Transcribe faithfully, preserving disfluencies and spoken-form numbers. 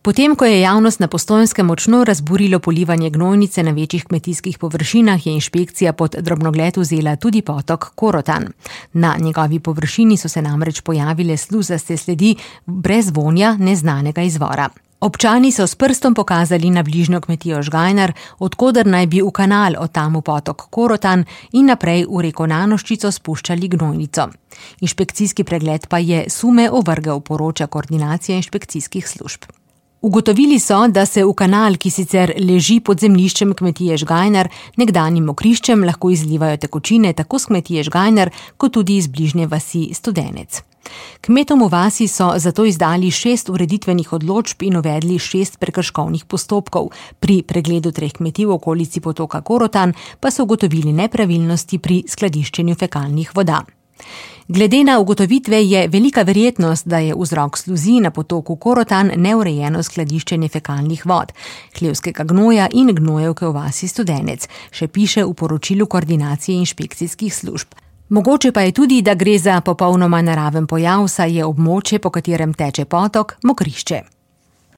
Potem, ko je javnost na Postojnskem močno razburilo polivanje gnojnice na večjih kmetijskih površinah, je inšpekcija pod drobnogled vzela tudi potok Korotan. Na njegovi površini so se namreč pojavile sluzaste sledi brez vonja neznanega izvora. Občani so s prstom pokazali na bližnjo kmetijo Žgajnar, od koder naj bi v kanal, od tam v potok Korotan in naprej v reko Nanoščico spuščali gnojnico. Inšpekcijski pregled pa je sume ovrgel, poroča koordinacija inšpekcijskih služb. Ugotovili so, da se v kanal, ki sicer leži pod zemljiščem kmetije Žgajnar, nekdanjim mokriščem, lahko izlivajo tekočine tako s kmetije Žgajnar, kot tudi iz bližnje vasi Studenec. Kmetom v vasi so zato izdali šest ureditvenih odločb in uvedli šest prekrškovnih postopkov. Pri pregledu treh kmetij v okolici potoka Korotan pa so ugotovili nepravilnosti pri skladiščenju fekalnih voda. Glede na ugotovitve je velika verjetnost, da je vzrok sluzi na potoku Korotan neurejeno skladiščenje fekalnih vod, hlevskega gnoja in gnojevke v vasi Studenec, še piše v poročilu koordinacije inšpekcijskih služb. Mogoče pa je tudi, da gre za popolnoma naraven pojav, saj je območje, po katerem teče potok, mokrišče.